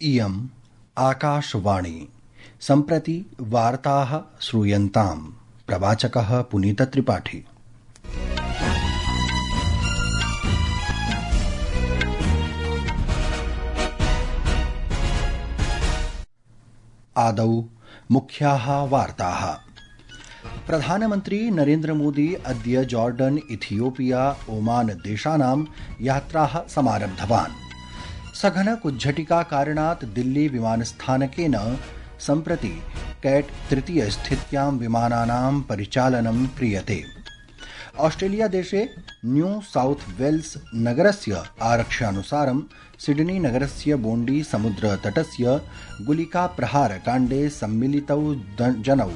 इयम् आकाशवाणी सम्प्रति वार्ताः श्रूयन्ताम्। प्रवाचकः पुनीतत्रिपाठी। आदौ मुख्याः वार्ताः। प्रधानमन्त्री नरेन्द्र मोदी अद्य जॉर्डन, इथियोपिया, ओमान देशानां यात्राः समारब्धवान्। सघन कुज्झटिका कारणात् दिल्ली विमानस्थानकेन सम्प्रति कैट तृतीय स्थित्यां विमानानां परिचालनं क्रियते। ऑस्ट्रेलिया देशे न्यू साउथ वेल्स नगरस्य आरक्ष्यानुसारं सिडनी नगरस्य बोण्डी समुद्रतटस्य गुलिकाप्रहारकाण्डे सम्मिलितौ जनौ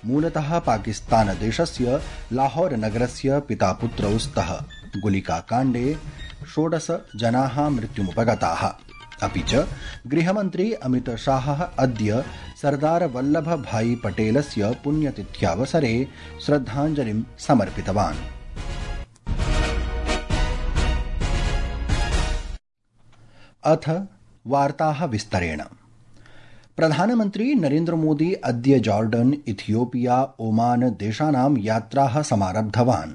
मूलतः पाकिस्तान देशस्य लाहौर नगरस्य पितापुत्रौ स्तः। गुलिकाकाण्डे 16 जनाः मृत्युमुपगताः। अपि च गृहमन्त्री अमित शाहः अद्य सरदार वल्लभ भाई पटेलस्य पुण्यतिथ्यावसरे श्रद्धाञ्जलिं समर्पितवान्। अथ वार्ताः विस्तरेण। प्रधानमन्त्री नरेन्द्र मोदी अद्य जॉर्डन, इथियोपिया, ओमान देशानां यात्राः समारब्धवान्।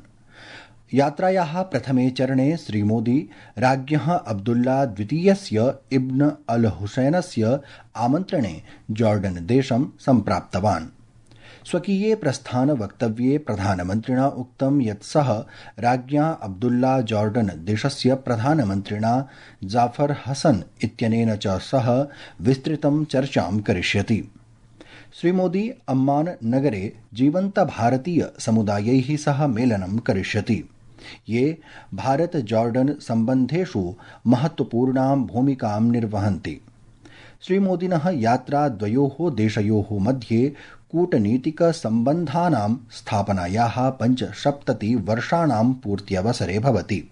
यात्रायाः प्रथमे चरणे श्रीमोदी राज्ञः अब्दुल्ला द्वितीयस्य इब्न अल हुसैनस्य आमन्त्रणे जॉर्डन देशं सम्प्राप्तवान्। स्वकीये प्रस्थानवक्तव्ये प्रधानमन्त्रिणा उक्तं यत् सः राज्ञा अब्दुल्ला जॉर्डन देशस्य प्रधानमन्त्रिणा जाफर हसन इत्यनेन च सह विस्तृतं चर्चां करिष्यति। श्रीमोदी अम्मान नगरे जीवन्त भारतीय समुदायैः सह मेलनं करिष्यति, ये भारत जॉर्डन सम्बन्धेषु महत्वपूर्णां भूमिकां निर्वहन्ति। श्रीमोदिनः यात्रा द्वयोः देशयोः मध्ये कूटनीतिकसम्बन्धानां स्थापनायाः 75 वर्षाणां पूर्त्यवसरे भवति।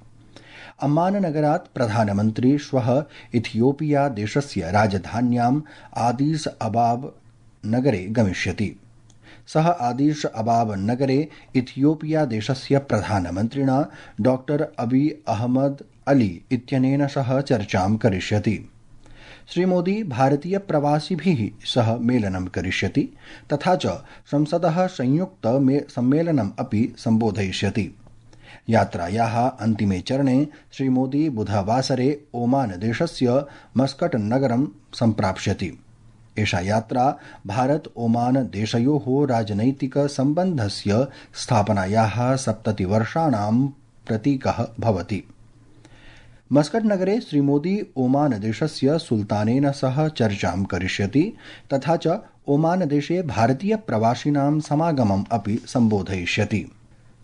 अम्माननगरात् प्रधानमन्त्री श्वः इथियोपिया देशस्य राजधान्याम् आदिस अबाब नगरे गमिष्यति। सः आदिश अबाब नगरे इथियोपिया देशस्य प्रधानमन्त्रिणा डॉक्टर अबी अहमद अली इत्यनेन सह चर्चां करिष्यति। श्रीमोदी भारतीय प्रवासिभिः सह मेलनं करिष्यति तथा च संसदः संयुक्त सम्मेलनम् अपि सम्बोधयिष्यति। यात्रायाः अन्तिमे चरणे श्रीमोदी बुधवासरे ओमान देशस्य मस्कट नगरं सम्प्राप्स्यति। एषा यात्रा भारत ओमान देशयोः राजनैतिक सम्बन्धस्य स्थापनायाः 70 वर्षाणां प्रतीकः भवति। मस्कट नगरे श्रीमोदी ओमान देशस्य सुल्तानेन सह चर्चां करिष्यति तथा च ओमान देशे भारतीय प्रवासिनां समागमम् अपि सम्बोधयिष्यति।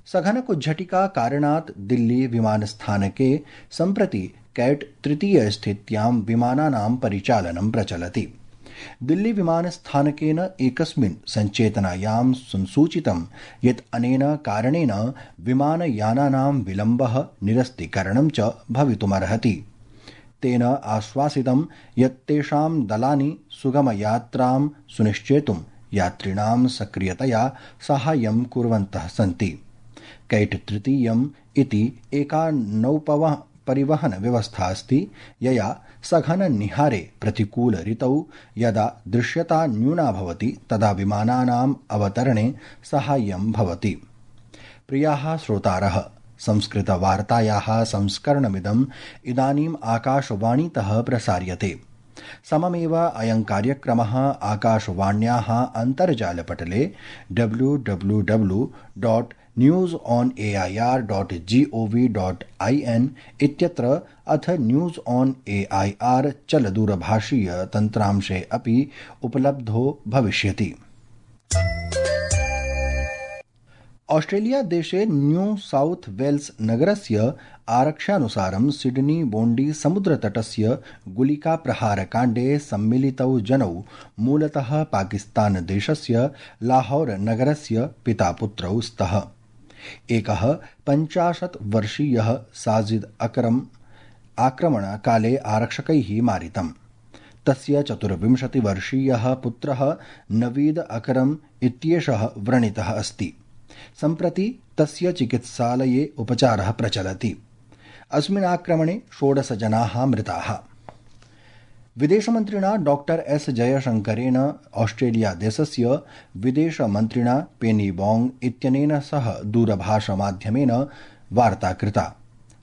सघन कुज्झटिका कारणात् दिल्ली विमानस्थानके सम्प्रति कैट तृतीय स्थित्यां विमानानां परिचालनं प्रचलति। दिल्ली विमानस्थानकेन एकस्मिन् सञ्चेतनायां संसूचितं यत् अनेन कारणेन विमानयानानां विलम्बः, निरस्तीकरणं च भवितुमर्हति। तेन आश्वासितं यत् तेषां दलानि सुगमयात्रां सुनिश्चेतुं यात्रिणां सक्रियतया साहाय्यं कुर्वन्तः सन्ति। कैट तृतीयम् इति एका नौपरिवहन व्यवस्था अस्ति, यया सघन निहारे प्रतिकूल ऋतौ यदा दृश्यता न्यूना भवति तदा विमानानाम् अवतरणे साहाय्यं भवति। प्रियाः श्रोतारः, संस्कृतवार्तायाः संस्करणमिदम् इदानीम् आकाशवाणीतः प्रसार्यते। सममेव अयं कार्यक्रमः आकाशवाण्याः अन्तर्जालपटले www.newsonair.gov.in इत्यत्र अथ न्यूज ऑन एआईआर चलदूरभाषीय तन्त्रांशे अपि उपलब्धो भविष्यति। ऑस्ट्रेलिया देशे न्यू साउथ वेल्स नगरस्य आरक्ष्यानुसारं सिडनी बोण्डी समुद्रतटस्य गुलिकाप्रहारकाण्डे सम्मिलितौ जनौ मूलतः पाकिस्तान देशस्य लाहौर नगरस्य पितापुत्रौ स्तः। एकः 50 वर्षीयः साजिद अकरम आक्रमणकाले आरक्षकैः मारितम्। तस्य 24 वर्षीयः पुत्रः नवीद अकरम इत्येषः व्रणितः अस्ति। सम्प्रति तस्य चिकित्सालये उपचारः प्रचलति। अस्मिन् आक्रमणे 16 जनाः मृताः। विदेशमन्त्रिणा डॉक्टर एस जयशंकरेण ऑस्ट्रेलिया देशस्य विदेशमन्त्रिणा पेनी वोंग इत्यनेन सह दूरभाषमाध्यमेन वार्ता कृता।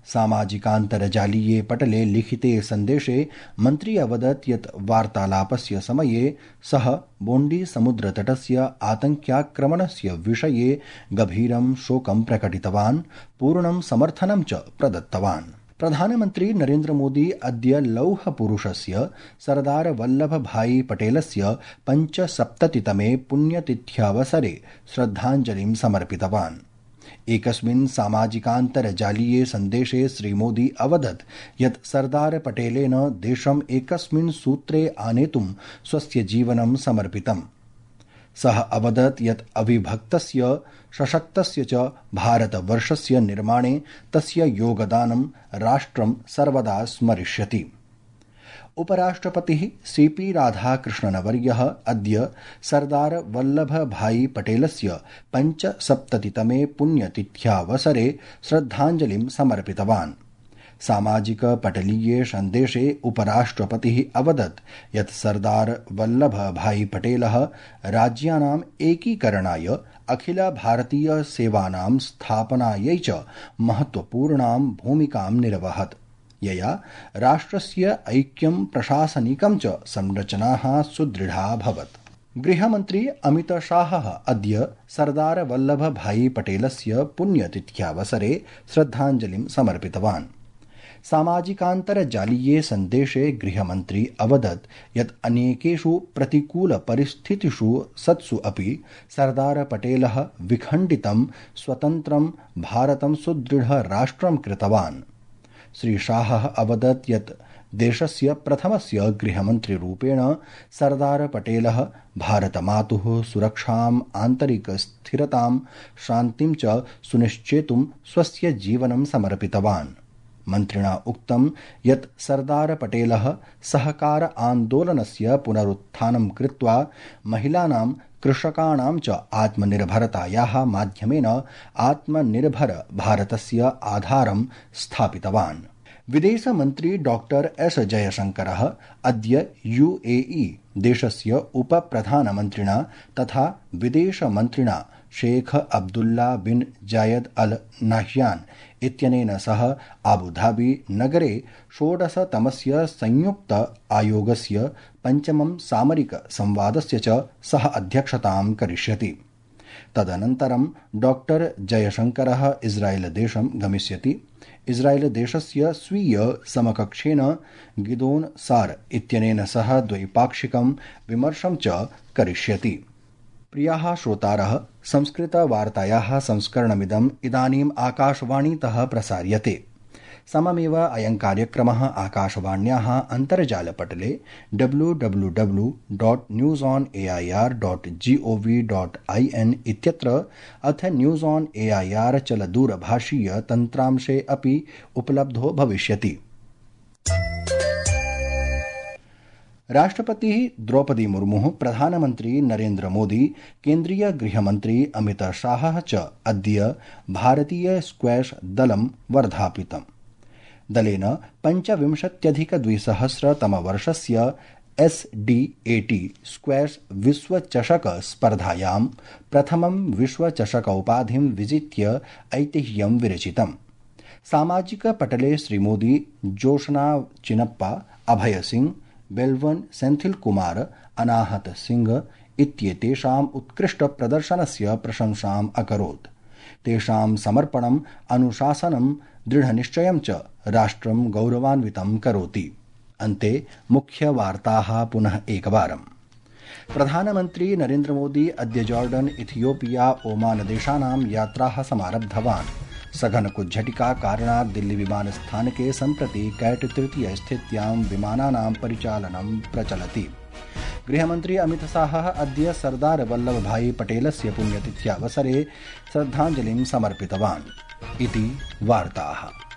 सामाजिकान्तर्जालीये पटले लिखिते सन्देशे मन्त्री अवदत् यत् वार्तालापस्य समये सः बोण्डी समुद्रतटस्य आतङ्क्याक्रमणस्य विषये गभीरं शोकं प्रकटितवान्, पूर्णं समर्थनं च प्रदत्तवान्। प्रधानमन्त्री नरेन्द्र मोदी अद्य लौहपुरुषस्य सरदार वल्लभभाई पटेलस्य 75तमे पुण्यतिथ्यावसरे श्रद्धाञ्जलिं समर्पितवान्। एकस्मिन् सामाजिकान्तर्जालीये सन्देशे श्रीमोदी अवदत् यत् सरदार पटेलेन देशम् एकस्मिन् सूत्रे आनेतुं स्वस्य जीवनं समर्पितम्। सः अवदत् यत् अविभक्तस्य सशक्तस्य च भारतवर्षस्य निर्माणे तस्य योगदानं राष्ट्रं सर्वदा स्मरिष्यति। उपराष्ट्रपतिः सीपी राधाकृष्णनवर्यः अद्य सरदार वल्लभभाई पटेलस्य 75तमे पुण्यतिथ्यावसरे श्रद्धाञ्जलिं समर्पितवान्। सामाजिकपटलीये सन्देशे उपराष्ट्रपतिः अवदत् यत् सरदार वल्लभभाई पटेलः राज्यानाम् एकीकरणाय अखिल भारतीय सेवानां स्थापनायै च महत्वपूर्णां भूमिकां निरवहत्, यया राष्ट्रस्य ऐक्यं प्रशासनिकं च संरचनाः सुदृढा अभवत्। गृहमन्त्री अमित शाहः अद्य सरदार वल्लभभाई पटेलस्य पुण्यतिथ्यावसरे श्रद्धाञ्जलिं समर्पितवान्। सामाजिकान्तर्जालीये सन्देशे गृहमन्त्री अवदत् यत् अनेकेषु प्रतिकूलपरिस्थितिषु सत्सु अपि सरदार पटेलः विखण्डितं स्वतन्त्रं भारतं सुदृढ राष्ट्रं कृतवान्। श्री शाहः अवदत् यत् देशस्य प्रथमस्य गृहमन्त्रिरूपेण सरदार पटेलः भारतमातुः सुरक्षाम्, आन्तरिकस्थिरतां, शान्तिं च सुनिश्चेतुं स्वस्य जीवनं समर्पितवान्। मन्त्रिणा उक्तं यत् सरदार पटेलः सहकार आन्दोलनस्य पुनरुत्थानं कृत्वा महिलानां, कृषकाणां च आत्मनिर्भरतायाः माध्यमेन आत्मनिर्भर भारतस्य आधारं स्थापितवान्। विदेशमन्त्री डॉक्टर एस जयशंकरः अद्य यूएई देशस्य उपप्रधानमन्त्रिणा तथा विदेशमन्त्रिणा शेख अब्दुल्ला बिन जायद अल नाह्यान इत्यनेन सह आबुधाबी नगरे 16तमस्य संयुक्त आयोगस्य 5मं सामरिक संवादस्य च सह अध्यक्षतां करिष्यति। तदनन्तरं डॉक्टर जयशंकरः इस्राएल देशं गमिष्यति। इस्राएल देशस्य स्वीय समकक्षेण गिदोन सार इत्यनेन सह द्वैपाक्षिकं विमर्शं च करिष्यति। प्रियाः श्रोतारः, संस्कृतवार्तायाः संस्करणमिदम् इदानीम् आकाशवाणीतः प्रसार्यते। सममेव अयं कार्यक्रमः आकाशवाण्याः अन्तर्जालपटले www.newsonair.gov.in इत्यत्र अथ न्यूज़ ऑन एआईआर चलदूरभाषीय तन्त्रांशे अपि उपलब्धो भविष्यति। राष्ट्रपतिः द्रौपदी मुर्मुः, प्रधानमन्त्री नरेन्द्र मोदी, केन्द्रीय गृहमन्त्री अमित शाहः च अद्य भारतीय स्क्वैश दलं वर्धापितम्। दलेन 25,200तमवर्षस्य SDAT स्क्वैश विश्वचषक स्पर्धायां प्रथमं विश्वचषकोपाधिं विजित्य ऐतिह्यं विरचितम्। सामाजिकपटले श्रीमोदी जोशना चिनप्पा, अभय सिंह, बेल्वन सेंथिल कुमार, अनाहत सिंह इत्येतेषाम् उत्कृष्टप्रदर्शनस्य प्रशंसाम् अकरोत्। तेषां समर्पणम्, अनुशासनं, दृढनिश्चयं च राष्ट्रं गौरवान्वितं करोति। अन्ते मुख्यवार्ताः पुनः एकवारम्। प्रधानमन्त्री नरेन्द्र मोदी अद्य जॉर्डन, इथियोपिया, ओमान देशानां यात्राः समारब्धवान्। सघन कुज्झटिका कारणात् दिल्ली विमानस्थानके सम्प्रति कैट तृतीय स्थित्यां विमानानां परिचालनं प्रचलति। गृहमन्त्री अमित शाहः अद्य सरदार वल्लभभाई पटेलस्य पुण्यतिथ्यावसरे श्रद्धाञ्जलिं समर्पितवान्। इति वार्ताः।